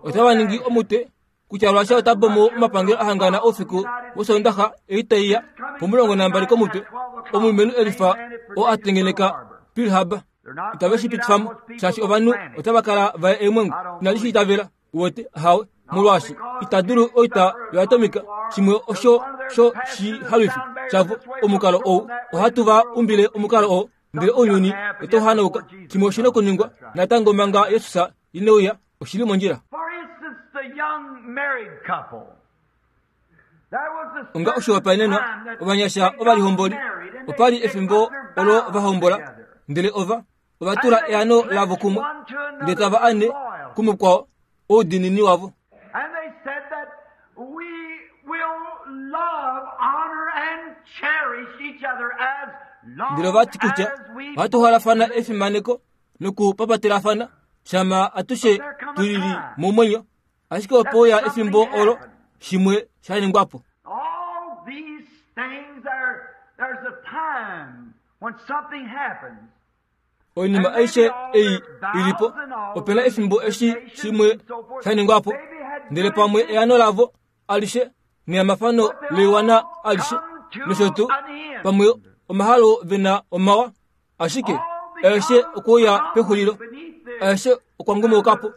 otava ningi omutwe kutya Russia ota bomo omapangelo ahangana oufiku wosondaxa eitaiya pomulongo nambali komutwe. Omulumenhu elifa oo atengeneka Pearl Harbor itave shi pitifamo shaashi ovanhu otava kala vaye eemwengo. Inali shi itavela uwete hawe, molwaashi ita dulu oita yoatomika shimwe osho sho shi halwifi shavo. Omukalo ou ohatu va umbile omukalo oo, ndele ounyuni otau hanauka. Shimwe oshina okuningwa natango manga Jesus ineuya, oshili mondjila. Onga oshihopaenenwa, ovanyasha ovalihomboli opali efimbo olo va hombola, ndele ova Ovatula eano lavo kumwe ndele tava ane kumukwao oudiinini wavo. And they said that we will love, honor, and cherish each other as long Ndele vati kutya as we ohatu holafana efimaneko nokupapatelafana shama atushe tulili momwenyo. Ashike opo uya efimbo olo shimwe sha ningwapo. All these things are, there's a time when something happens. Oinima aishe ei ilipo opena efimbo eshi shimwe sha ningwapo. Ndele pamwe eano lavo alishe neamafano loiwana alishe nosho tuu pamwe omahalo vena omawa, ashike aeshe okuuya pexulilo, aeshe okwa ngumaukapo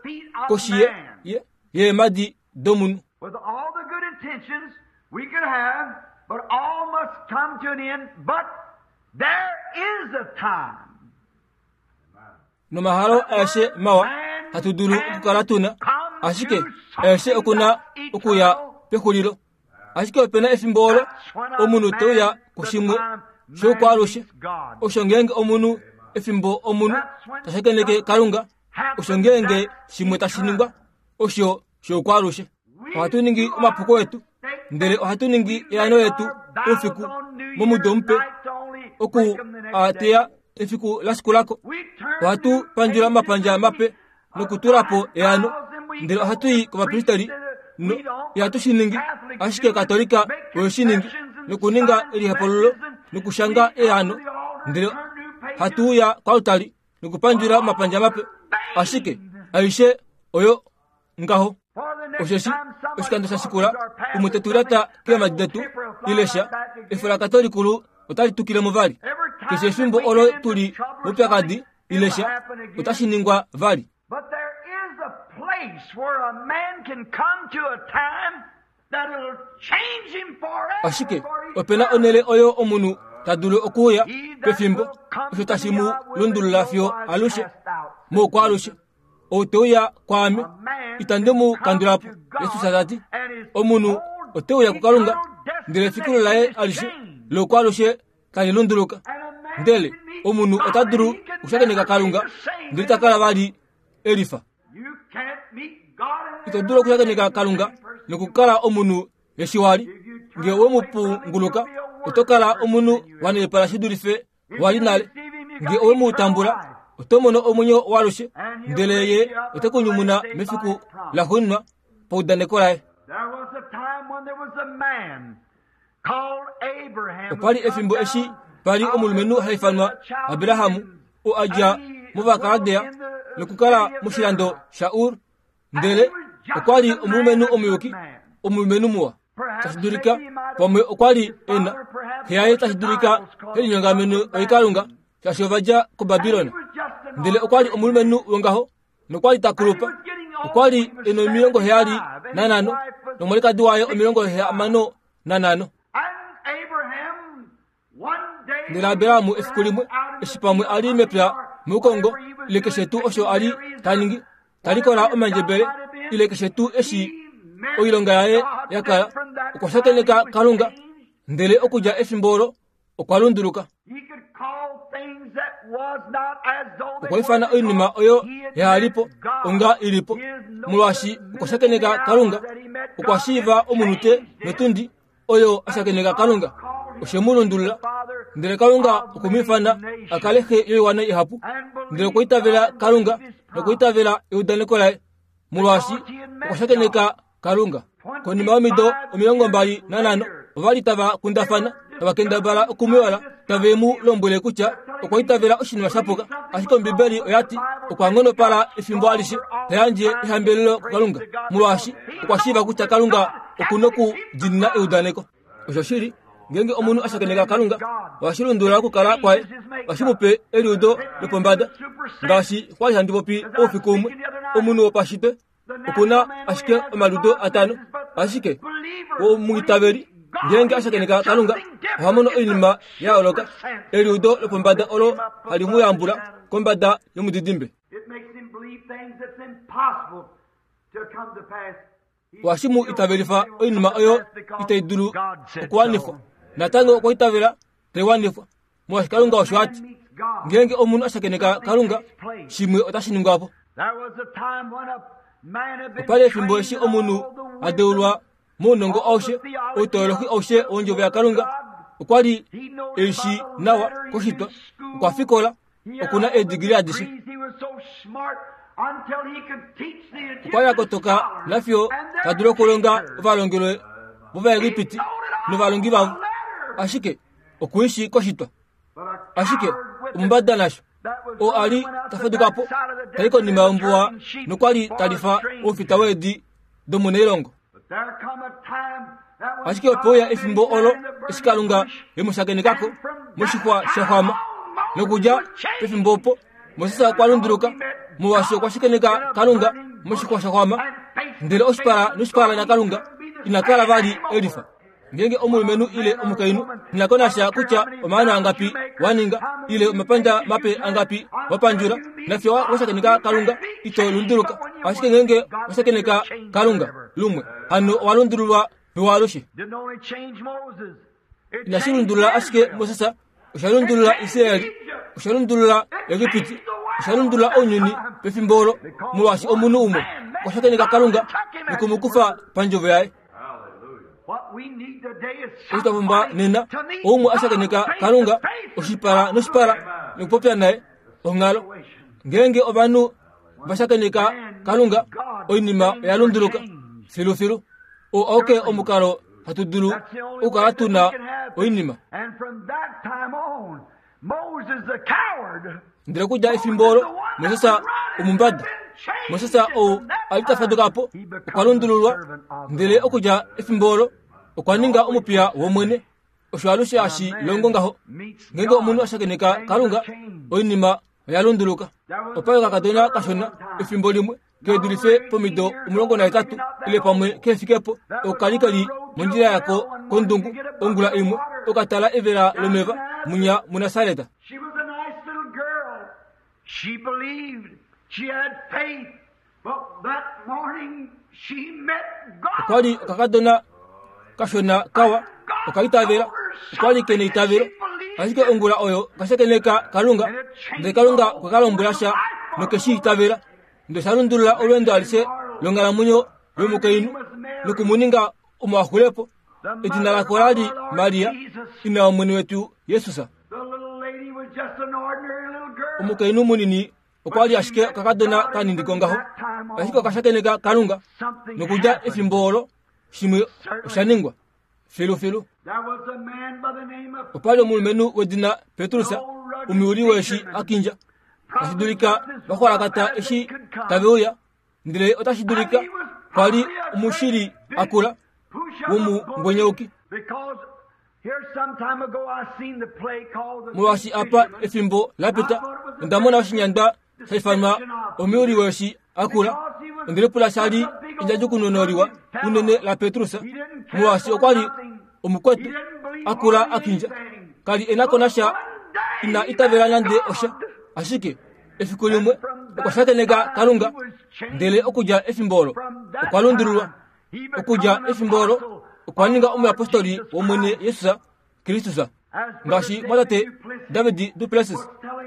koshi ye, ye, yeemadi domunhu. With all the good intentions we could have, but all must come to an end. But there is a time. Nomahalo aeshe mawa hatu dulu okukala tuna, ashike aeshe okuna okuya pexulilo. Ashike opena efimbo olo omunhu te uya kushimwe shoukwalushe. Osho ngeenge omunhu efimbo omunhu tashakeneke Kalunga, osho ngeenge shimwe tashi ningwa, osho shoukwalushe. Ohatu ningi omapuko etu, ndele ohatu ningi eano letu oufiku momudo mupe oku a teya efiku la shikulako. Ohatu pandjula omapandja mape nokutulapo eano, ndele ohatu i kovapristeri no ihatu shi ningi, ashike Katolika oyo shi ningi nokuninga elihepululo nokushanga eano, ndele hatu uya koaltari nokupandjula omapandja mape, ashike aishe oyo ngaho. Osheshi oshikando sha shikula umwe tetulata keemadi detu ilesha efo la Katolikulu otali tukile mo vali. Keshe efimbo olo tuli moupyakadi ilesha otashi ningwa vali. But there is a place where a man can come to a time that it'll change him forever. Ashike opena onele oyo omunhu ta dulu okuuya pefimbo osho tashi mu lundulula fiyo alushe moukwalushe. Ou te uya kwaame itandi mu kandula po. Jesus ta ti omunhu ote uya kuKalunga, ndele efikilo laye alishe loukwalushe tali lunduluka. Ndele omunhu ota dulu okushakeneka Kalunga ndele ta kala vali elifa. You can't meet God and Ito dulu okushakeneka Kalunga nokukala omunhu yeshiwali. Nge we mu punguluka oto kala omunhu wanelepala shi dulife wali nale. Nge owe mu tambula oto mono omwenyo walushe, ndele ye ote ku nyumuna mefiku laxuuninwa paudaneko laye. There was a time when there was a man called Abraham. Opali efimbo eshi pali omulumenhu ha ifanwa Abrahamu, oo a dja mOvakaldea nokukala moshilando shaUr, ndele okwa li omulumenhu omuyuki, omulumenhu muwa. Tashi dulika pamwe okwa li ena xe yaye, tashi dulika elinyongameno oikalunga, shaashi ova dja kuBabilon. Ndele okwa li omulumenhu wongaho nokwa li ta kulupa. Okwa li ena omilongo heyali nanhano nomwalikadi waye omilongo hamano nanhano. And Abraham, one day, Ndele Abrahamu efiku limwe eshi pamwe a li mepya moukongo ile keshe tuu osho a li ta ningi, ta likola omandjebele ile keshe tuu eshi oilonga yaye ya kala, okwa shakeneka Kalunga, ndele okudja efimbo olo okwa lunduluka. He could call things that was not as though they Okwa ifana were oinima because oyo he had yahalipo met God. onga ilipo, He is no molwaashi okwa shakeneka Kalunga. that he met Okwa God shiiva omunute changed him. notundi oyo a shakeneka Kalunga oshe mu lundulula. Ndele Kalunga okwe mu ifana a kale xe yoiwana ihapu, ndele okwa itavela Kalunga nokwa itavela eudaneko laye, molwaashi okwa shakeneka Kalunga. Konima yomido omilongo mbali nanhano ova li tava kundafana, tava kendabala okumuyola, tave mu lombwele kutya okwa itavela oshinima sha puka. Ashike Ombibeli oya ti okwa nghonopala efimbo alishe, ta yandje ehambelelo kuKalunga, molwaashi okwa shiiva kutya Kalunga okuna okudiinina eudaneko. Oshoshili, ngeenge omunhu a shakeneka Kalunga, ohashi lundulula okukala kwaye, ohashi mu pe eliudo lopombada. Ngaashi kwali handi popi oufiku umwe, omunhu wopashitwe okuna ashike omaliudo atano, ashike womwiitaveli ngeenge a shakeneka Kalunga oha mono oinima ya yooloka, eliudo lopombada olo hali mu yambula kombada yomudidimbe. It makes him believe things that's impossible to come to pass. Ohashi mu itavelifa oinima oyo itai dulu okuwanifwa. Natango okwa itavela tai wanifwa, molwaashi Kalunga osho a ti. Ngeenge omunhu a shakeneka Kalunga, shimwe otashi ningwa po. Opa li efimbo eshi omunhu a deulwa mounongo aushe, outeolohi aushe wondjovo yaKalunga, okwa li eishi nawa koshitwa, okwa fikola, okuna eedigili adishe. Okwa li a kotoka nafiyo ta dulu okulonga ovalongelwe vOvaegipiti novalongi vavo, ashike okuishi koshitwa. Ashike omumbada nasho oo a li ta faduka po, tali konima yombuwa nokwa li ta lifa oufita weedi domunailongo. Ashike ope uya efimbo olo eshi Kalunga e mu shakenekako moshixwa sha xwama, nokudja pefimbo opo Moses okwa lunduluka, molwaashi okwa shakeneka Kalunga moshixwa sha xwama, ndele oshipala noshipala naKalunga ina kala vali elifa. Ngeenge omulumenhu ile omukainhu ina konasha kutya omaano angapi wa ninga ile omapandja mape angapi wa pandjula, nafiyo wa shakeneka Kalunga ito lunduluka. Ashike ngeenge wa shakeneka Kalunga lumwe, hano owa lundululwa pewalushe. Inashi lundulula ashike Moses, osha lundulula Israeli, osha lundulula Egipiti, osha lundulula ounyuni pefimbo olo, molwaashi omunhu umwe okwa shakeneka Kalunga nokumukufa pandjovo yaye. Eshi twa pumbwa nena oumwe a shakeneka Kalunga oshipala noshipala nokupopya naye onghalo. Ngeenge ovanhu va shakeneka Kalunga, oinima oya lunduluka filufilu. Oo auke omukalo hatu dulu okukala tu na oinima. Ndele okudja efimbo olo, Moses omumbada, Moses ou a li ta faduka po, okwa lundululwa, ndele okudja efimbo olo okwa ninga omupiya wOmwene. Osho alushe hashi longo ngaho. Ngeenge omunhu a shakeneka Kalunga, oinima oya lunduluka. Opa li okakadona kashona efimbo limwe keedulife pomido omulongo nahetatu ile pamwe kefikepo, okali keli mondjila yako kondungu ongula imwe, okatala evela lomeva munya muNasaret. She believed, she had faith, but that morning she met God. Okwa li okakadona kashona kawa, okaitavela, okwa li kena eitavelo, ashike ongula oyo okashakeneka Kalunga, ndele Kalunga okwe ka lombwela sha nokeshi itavela, ndele osha lundulula olweendo alishe longhalamwenyo yomukainhu nokumuninga omwaxulepo. Edina lako la li Maria, ina yOmwene wetu Jesus. Omukainhu munini okwa li ashike okakadona kanini kongaho, ashike okashakeneka Kalunga, nokudja efimbo olo shimwe osha ningwa filufilu. Opa li omulumenhu wedina Petrus, omuyuli weeshi a kindja, tashi dulika va xwalakata eshi tave uya, ndele otashi dulika kwa li omushili akula womungwenyeuki. Molwaashi apa efimbo la pita onda mona oshinyandwa sha ifanwa omuyuli weeshi akula, ondele pula sha li endjadjukunono liwa unene la Petrus, molwaashi okwa li omukwetu akula a kindja, kali e na ko nasha, ina itavela nande osha, ashike efiku limwe okwa shakeneka Kalunga, ndele okudja efimbo olo okwa lundululwa. Okudja efimbo olo okwa ninga omuyapostoli wOmwene Jesus Kristus. Ngaashi mwatate David du Plessis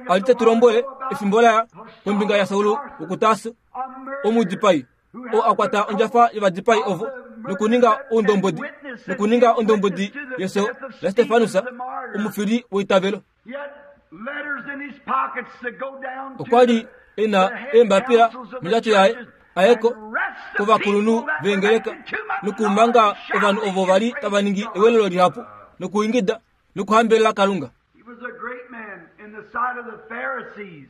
a li te tu lombwele efimbo laya kombinga yaSaul wokuTarso, omudipai oo a kwata ondjafa yovadipai ovo nokuninga oundombwedi nokuninga ondombwedi yefyo laStefanus, omufili weitavelo. Okwa li e na eembapila mondjato yaye ayeko kovakulunhu veengeleka nokumanga ovanhu ovo va li tava ningi ewelelo lihapu nokuingida nokuhambelela Kalunga. He was a great man in the sight of the Pharisees.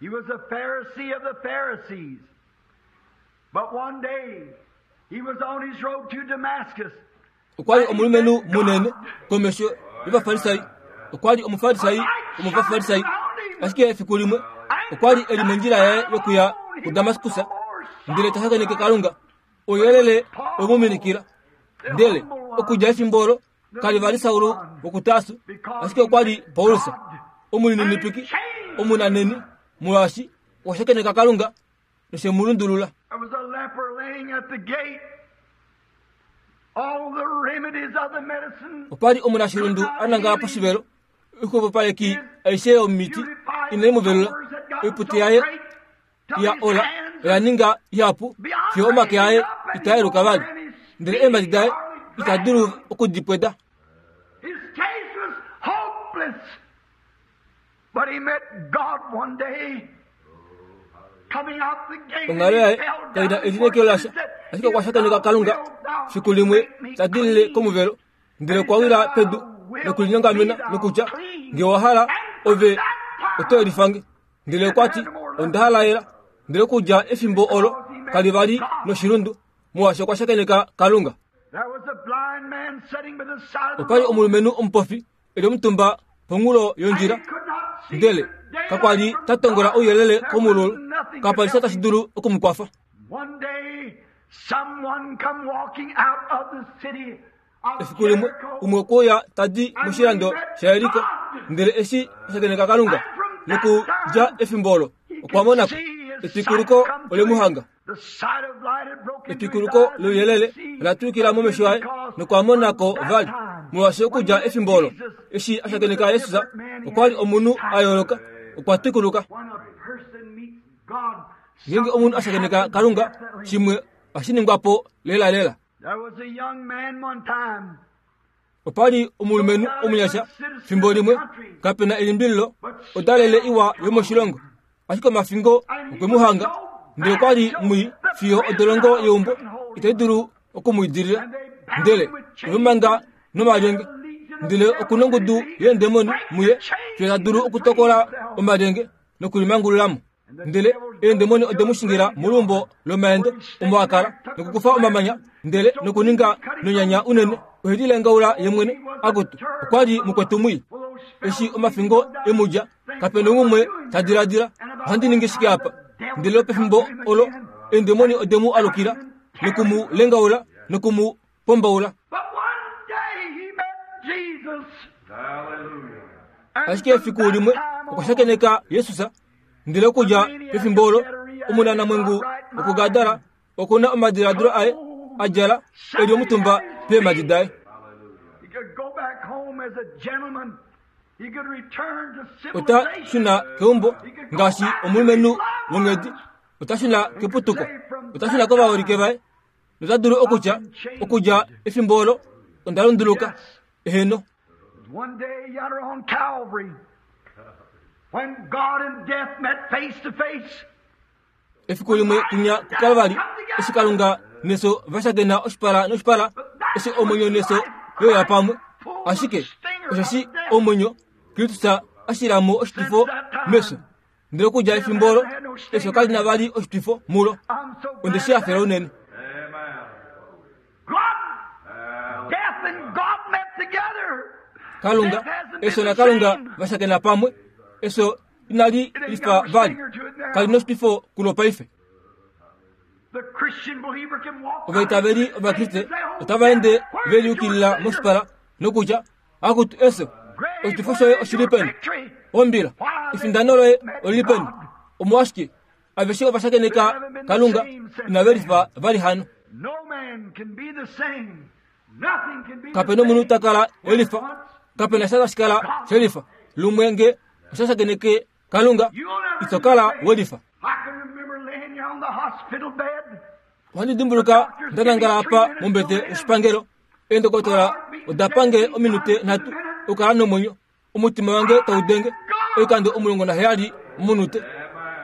He was a Pharisee of the Pharisees. But one day, he was on his road to Damascus. Okwa li omulumenhu munene komesho yovafarisai. Okwa li omufarisai womovafarisai. Ashike efiku limwe okwa li e li mondjila yaye yokuya kuDamaskus, ndele ta shakeneke Kalunga. Ouyelele we mu minikila. Ndele okudja efimbo olo kali vali Saul wokuTarso, ashike okwa li Paulus, omulininipiki, omunanheni, molwaashi okwa shakeneka Kalunga noshe mu lundulula. There was a leper laying at the gate. All the remedies of the medicine Opa li omunashilundu a nangala poshivelo, Oixwepopaleki aishe yomiti inai mu velula. Oipute yaye ya ola oya ninga ihapu fiyo omake aye itaa yeluka vali, ndele eemhadi daye ita dulu okudipweda. His case was hopeless. But he met God one day, coming out the gate. Onghalo yaye kai na elineekelo lasha, ashike okwa shakeneka Kalunga fiku limwe ta dilile komuvelo, ndele okwa wila pedu nokulinyongamena nokutya, nge owa hala ove oto yelifange. Ndele okwa ti, onda hala yela. Ndele okudja efimbo olo kali vali noshilundu, molwaashi okwa shakeneka Kalunga. There was a blind man sitting by the side of the Opali road. omulumenhu omupofi eli omutumba ponghulo yondjila, He could not see ndele the daylight kakwa li from ta tongola God. ouyelele There komululu, was nothing kapa li to sha help tashi him. dulu okumukwafa. One day, someone come walking out of the city of Efiku limwe Jericho. umwe okwe uya tadi moshilando shaYeriko, ndele eshi a shakeneka Kalunga nokudja efimbo olo okwa mona ko etwikuluko ole mu hanga. The sight of light had broken into his Etwikuluko eyes and louyelele he could see ola twikila momesho aye nokwa mona ko vali, molwaashi okudja efimbo olo eshi a shakeneka Jesus okwa li omunhu a yooloka, okwa twikuluka. When a person meets God, Ngeenge omunhu a shakeneka Kalunga, shimwe ohashi ningwa po lela lela. There was a young man one time, Opali omulumenhu omunyasha fimbo limwe kapena elimbililo odalele iwa yomoshilongo, ashike omafingo okwe mu hanga, ndele okwa li mwii fiyo odolongo yeumbo itai dulu okumwiidilila, ndele ovemanga nomalyenge, ndele okuna ongudu yeendemoni muye fiyo ta dulu okutokola omalyenge nokulimangululamo. Ndele eendemoni ode mu shingila moluumbo lomaendo omo a kala nokukufa omamanya ndele nokuninga nonyanya unene oheli lengaula ye mwene akutu okwa li mukwetu mwii. Eshi omafingo emudja kapena umwe ta diladila ohandi ningi shike apa, ndele pefimbo olo eendemoni ode mu alukila nokumu lengaula nokumu pombaula. but one day he met Jesus. And Ashike efiku limwe okwa shakeneka Jesus, ndele okudja pefimbo olo omunanamwengu okugadara okuna omadiladilo aye a djala eli omutumba peemhadi daye. He could go back home as a gentleman. He could return to Ota civilization. shuna keumbo ngaashi omulumenhu wonghedi, ota shuna keputuko, ota shuna kovaholike vaye, nota dulu okutya okudja efimbo olo onda lunduluka. Eheno. One day yonder on Calvary, when God and death met face to face, Efiku limwe kunya kuKalvari, eshi Kalunga neso vashakena oshipala noshipala, eshi omwenyo neso veuya pamwe, ashike osheshi omwenyo Kristus ashila mo oshitifo mefyo, ndele okudja efimbo olo efyo kali na vali oshitifo mulo. I'm so glad Onde shi hafela unene. God, death and God met together. Kalunga efyo naKalunga vashakena pamwe, efyo inali lifa vali, kali noshitifo kulo paife. The Christian believer can walk Ovaitaveli Ovakriste otava ende veliukilila moshipala nokutya akutu efyo oshitifo shoye oshili peni, ombila efindano loye olili peni, omolwashike aveshe ovashakeneka Kalunga inave lifa vali hano. No man can be the same. Nothing can be Kapena the omunhu same. ta kala elifa, kapena sha tashi kala shelifa lumwe nge oshashakeneke Kalunga ito kala welifa. I can remember laying here on the hospital bed. Ohandi dimbuluka ndanangala apa mombete yoshipangelo, eendokotola oda pange ominute nhatu okukala nomwenyo, omutima wange tau denge oikando omulongo naheyali momunute.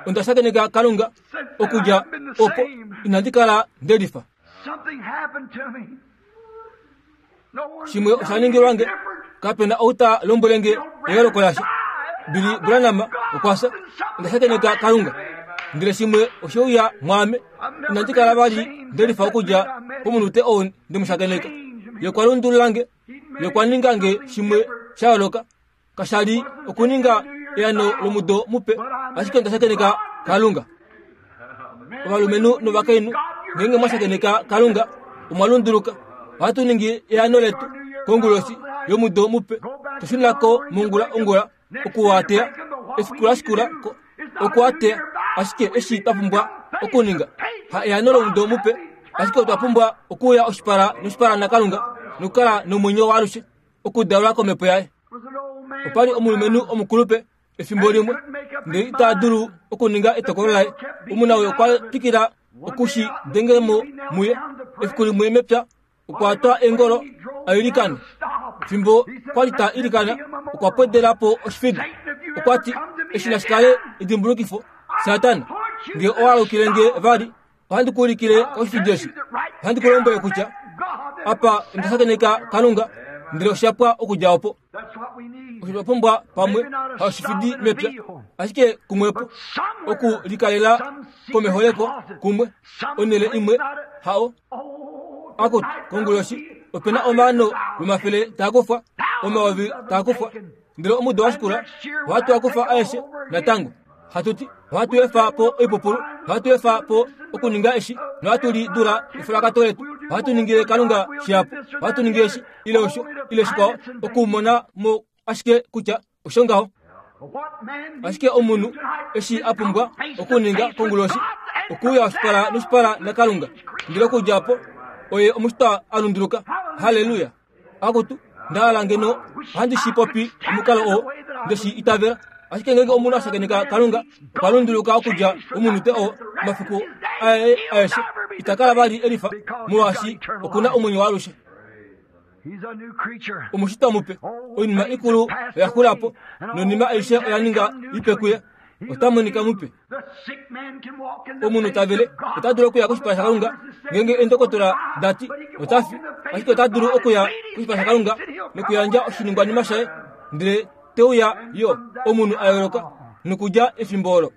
Onda shakeneka Kalunga okudja opo inandi kala ndelifa. Something happened to me. No one Shimwe could osha tell me ningilwa nge, different. kapena ou ta lombwele nge eyooloko lasha. Billy Branham okwa fya, onda shakeneka Kalunga, ndele shimwe oshe uya mwaame, inandi kala vali ndelifa okudja pomunute oo ndemushakeneka. Ye okwa lundulula nge, ye okwa ninga nge shimwe sha yooloka, kasha li okuninga eano lomudo mupe, ashike onda shakeneka Kalunga. Ovalumenhu novakainhu, ngeenge mwa shakeneka Kalunga, omwa lunduluka. Ohatu ningi eano letu konguloshi yomudo mupe, toshunako mongula ongula okuwateya efiku la shikula ko okuwateya, ashike eshi twa pumbwa okuninga ha eano lomudo mupe, ashike otwa pumbwa okuuya oshipala noshipala naKalunga nokukala nomwenyo waalushe okudalwa komhepo yaye. Opa li omulumenhu omukulupe efimbo limwe ndele ita dulu okuninga etokolo laye. Omunawe okwa twikila okushi dengemo muye. Efiku limwe mepya okwa twa engolo a ilikana. Fimbo kwa li ta ilikana okwa pwedela po oshifidi. Okwa ti eshi nashi kale edimbulukifo, Satana, nge owa alukile nge vali, ohandi ku ulikile koshifidi eshi. Ohandi ku lombwele kutya apa onda shakeneka Kalunga, ndele osha pwa okudja opo. Osho twa pumbwa pamwe haoshifidi mepya, ashike kumwepo oku likalela komeholeko kumwe onele imwe hao. Akutu konguloshi opena omaano lwomafele taa kufwa, omayovi taa kufwa, ndele omudo wa shikula ohatu a kufa aeshe natango. Hatuti ohatu efa po oipupulu, ohatu efa po okuninga eshi, nohatu li dula efulakato letu, ohatu ningile Kalunga shihapu, ohatu ningi eshi ile osho ile shikwao, okumona mo ashike kutya osho ngaho. Ashike omunhu eshi a pumbwa okuninga konguloshi okuuya oshipala noshipala naKalunga, ndele okudja po oye omushitwa a lunduluka. Haleluya! Akutu ndahala ngeno ohandi shi popi omukalo oo ndeshi itavela. Ashike ngenge omunhu a shakeneka Kalunga okwa lunduluka okudja omunute oo omafiku aye aeshe, ita kala vali elifa molwaashi okuna omwenyo waalushe. Omushitwa mupe, oinima ikulu oya xula po noinima aishe oya ninga ipe kuye. Ota monika mupe. Omunhu ta vele ota dulu okuya koshipala shaKalunga ngenge eendokotola dati ota fi, ashike ota dulu okuya koshipala shaKalunga nokuyandja oshiningwanima shaye, ndele teuya yo omunhu a yooloka nokudja efimbo olo.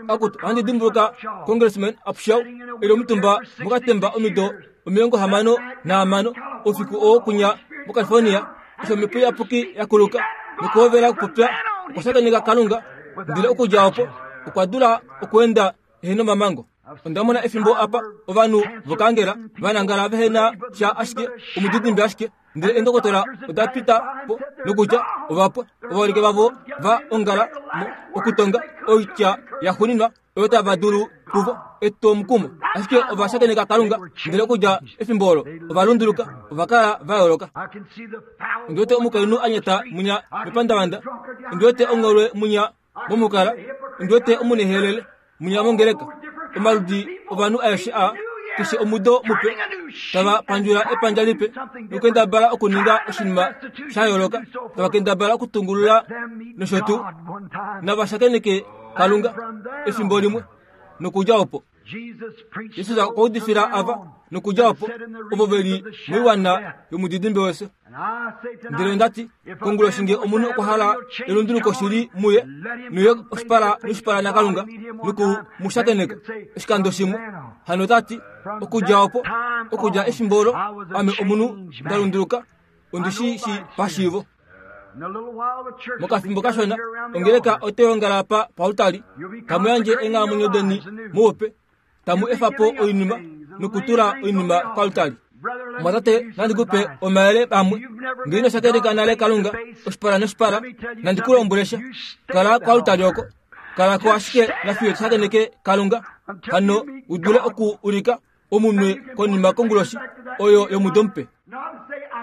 Akutu ohandi dimbuluka Congressman Upshaw eli omutumba mokatemba omido omilongo hamano nahamano oufiku oo kunya moCalifornia, eshi omhepo iyapuki ya kuluka nokuhovela okupopya okwa shakeneka Kalunga, ndele okudja opo okwa dula okuenda ehena omamango. Onda mona efimbo apa ovanhu vokangela vanangala vehena sha ashike omudidimbe ashike, ndele eendokotola oda pita po nokutya ovapwa ovaholike vavo va ongala mo okutonga oitya ya xuninwa oyo tava dulu kuvo etwomukumo, ashike ova shakeneka Kalunga, ndele okudja efimbo olo ova lunduluka, ova kala va yooloka. Ondi wete omukainhu a nyata munya mepandavanda, ondi wete ongholwe munya momukala, ondi wete omunehelele munya mongeleka, omaludi ovanhu aeshe a keshe omudo mupe tava pandjula epandja lipe nokukendabala okuninga oshinima sha yooloka, tava kendabala okutungulula nosho tuu. Nava shakeneke Kalunga efimbo limwe nokudja opo. Jesus okwa udifila ava nokudja opo ovo veli moiwana yomudidimbe wefyo. Ndele ondati konguloshi nge omunhu okwa hala elunduluko shili muye, nuye oshipala noshipala naKalunga noku mu shakeneka oshikando shimwe, hano tati okudja opo, okudja efimbo olo ame omunhu nda lunduluka, ondi shi shi pashiivo. Mokafimbo kashona ongeleka oteongala pa pautali, tamu yandje eenghalamwenyo deni moupe, tamu efa po oinima nokutula oinima pautali. Mwatate, nandi kupe omayele amwe. Nge ino shakeneka nale Kalunga oshipala noshipala, nandi ku lombwele sha. Kala kwautali oko, kala ko ashike nafiyo shakeneke Kalunga, hano u dule oku ulika omunwe konima konguloshi oyo yomudo mupe.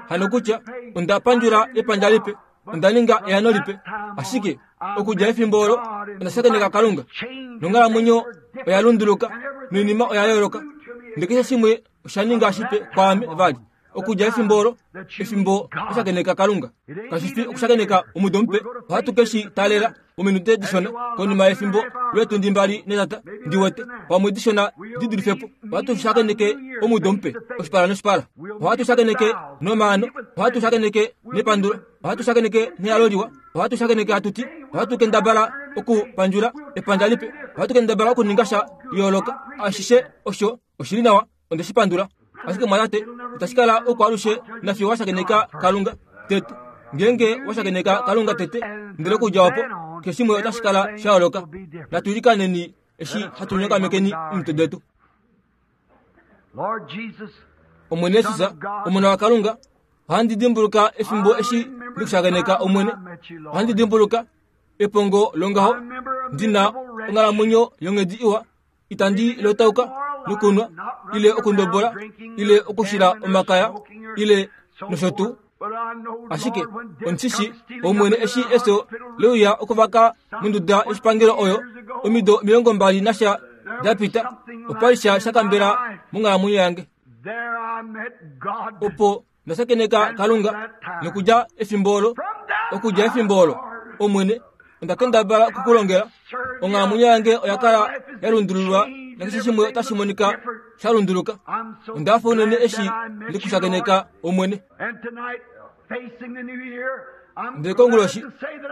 Hano kutya onda pandjula epandja lipe, onda ninga eano lipe, ashike okudja efimbo olo onda shakeneka Kalunga, nonghalamwenyo oya lunduluka noinima oya yooloka, ndele keshe shimwe osha ninga shipe kwaame vali. Okudja efimbo olo, efimbo oshakeneka Kalunga, kashi fi okushakeneka omudo mupe. Ohatu ke shi talela mominute dishona konima yefimbo lwetundi mbali netata, ndi wete pamwe dishona di dulife po. Ohatu shakeneke omudo mupe oshipala noshipala, ohatu shakeneke nomaano, ohatu shakeneke nepandulo, ohatu shakeneke nehalo liwa, ohatu shakeneke hatuti ohatu kendabala okupandjula epandja lipe, ohatu kendabala okuninga sha yooloka. Ashishe osho oshili nawa, onde shi pandula. Ashike mwatate, itashi kala okwalushe nafiyo wa shakeneka Kalunga tete. Ngenge wa shakeneka Kalunga tete, ndele okudja opo keshe shimwe otashi kala sha yooloka. Natu ilikaneni eshi hatu nyongamekeni omitwe detu. Omwene Jesus, Omona waKalunga, ohandi dimbuluka efimbo eshi ndikushakeneka Omwene. Ohandi dimbuluka epongo longaho, ndina onghalamwenyo yonghedi iwa, itandi lotauka nokunwa ile okundobola ile okushila omakaya ile nosho tuu. Ashike ondishi omwene eshi eso leuya okuvaka monduda yoshipangelo oyo omido omilongo mbali nasha dapita opali sha shakambela monghalamwenyo yange. Opo ndashakeneka Kalunga nokudja efimbo olo, okudja efimbo olo omwene onda kendabala okukulongela. Onghalamwenyo yange oya kala ya lundululwa nakeshe shimwe otashi monika sha lunduluka. Onda hafa unene eshi ndikushakeneka omwene. Ndele konguloshi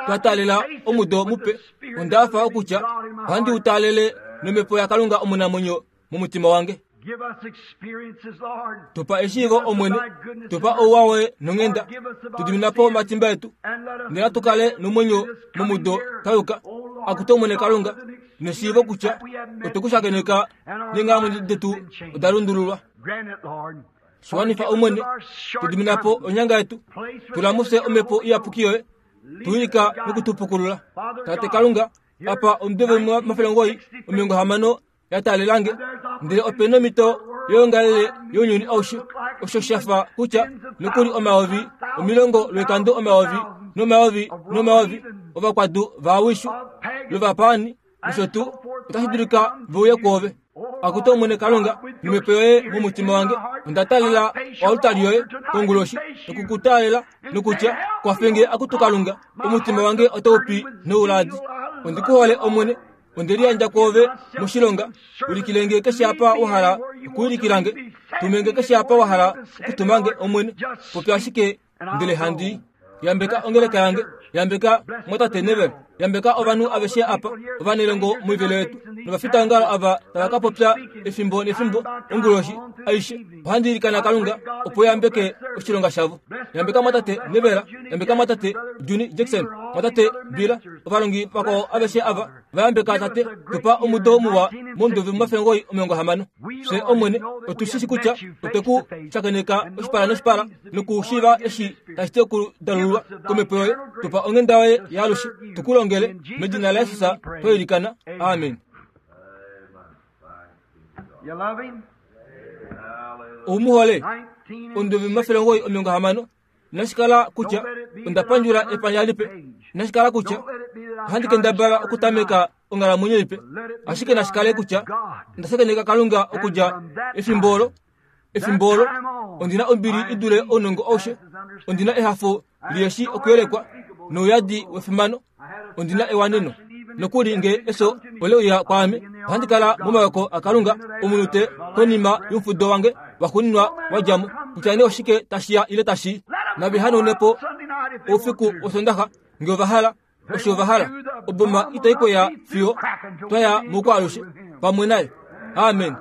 twa taalela omudo mupe, onda hafa okutya ohandi u taalele nomhepo yaKalunga omunamwenyo momutima wange. Tupa eshiivo omwene, tupa ouwa woye nonghenda, tudimina po omatimba etu, ndele tu kale nomwenyo momudo tauka. Akutu omwene Kalunga, neshiivo kutya otokushakeneka neenghalamwenyo detu oda lundululwa. Shiwanifa omwene, tudimina po onyanga yetu, tulamuse omhepo iyapuki yoye, tuwilika nokutupukulula. Tate Kalunga, apa omudo omafele omugoyi omilongo hamano ya taalelange, ndele opena omhito yoongalele younyuni aushe, osho shafa kutya nokuli omayovi omilongo lwoikando omayovi nomayovi nomayovi ovakwadu vaawishu lovapaani nosho tuu otashi dulika veuye kwoove. Akutu omwene Kalunga, nomhepo yoye momutima wange, onda taalela oaltari yoye konguloshi nokukutaalela nokutya kwafenge akutu Kalunga, omutima wange otau pi nouladi. Ondi ku hole omwene, onde liyandja kwoove moshilonga. Ulikilenge keshe apa wa hala okuwilikilange, tumenge keshe apa wa hala okutumange omwene. Popya ashike ndele handi yambeka ongeleka yange, yambeka mwatate Neville, yambeka ovanhu aveshe apa ovanelongo moivelo yetu novafitaongalo ava tava ka popya efimbo nefimbo onguloshi aishe. Ohandi ilikana Kalunga opo yambeke oshilonga shavo. Yambeka mwatate Neville, yambeka mwatate Juni Jackson, mwatate Bila, ovalongi vakwao aveshe ava vayambeka tate. Tupa omudo muwa momudo omafele omugoyi omilongo hamano. Fye omwene otushishi kutya otweku shakeneka oshipala noshipala nokushiiva eshi tashi ti okudalululwa komhepo yoye. Tupa onghenda yoye yaalushe, tukulongele medina laJesus twa ilikana. Amen. Oumuhole omudo omafele omugoyi omilongo hamano. Inashikala kutya onda pandjula epandja lipe, inashikala kutya ohandi kendabala okutameka onghalamwenyo ipe, ashike nashikale kutya onda shakeneka Kalunga okudja efimbo olo. Efimbo olo ondina ombili idule ounongo aushe, ondina ehafo liyeshi okuyelekwa nouyadi wefimano, ondina ewaneno. Nokuli nge eso oleuya kwaame, ohandi kala momaoko aKalunga omunute konima yomufudo wange waxuuninwa wa djamo, kutya nee oshike tashiya ile tashi. Nave hanounepo oufiku wosondaxa nge ova hala, osho ova hala. Oboma itai koya fiyo twaya moukwaalushe pamwe naye. Amen.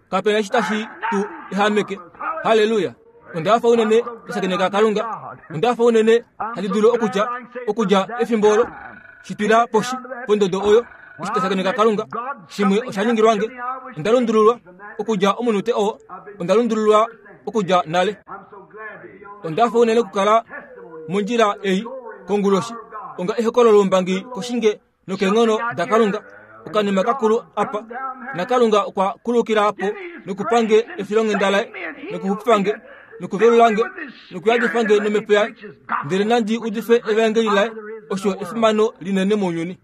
Kapena eshi tashi tu ehameke. Haleluya. Onda hafa unene ndashakeneka Kalunga. Onda hafa unene handi dulu okutya okudja efimbo olo shitwila poshi pondodo oyo eshi tashakeneka Kalunga. Shimwe osha ningilwange, onda lundululwa okudja omunute oo, onda lundululwa okudja nale. Onda hafa unene okukala mondjila ei konguloshi onga ehokololo lombangi koshinge nokeenghono daKalunga. Okanima kakulu apa naKalunga okwa kulukila po nokupange efilonghenda laye nokuxupifange nokuvelulange nokuyadifange nomhepo yaye, ndele nandi udife evangeli laye, osho efimano linene mounyuni.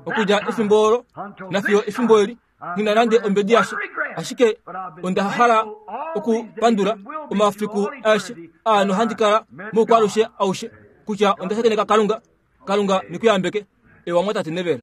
Okudja efimbo olo nafiyo efimbo eli nghi nande ombedi yasha, ashike onda hala okupandula omafiku aeshe aa nohandi kala moukwaalushe aushe kutya onda shakeneka Kalunga. Kalunga nekuyambeke. Ewa mwatate Neville.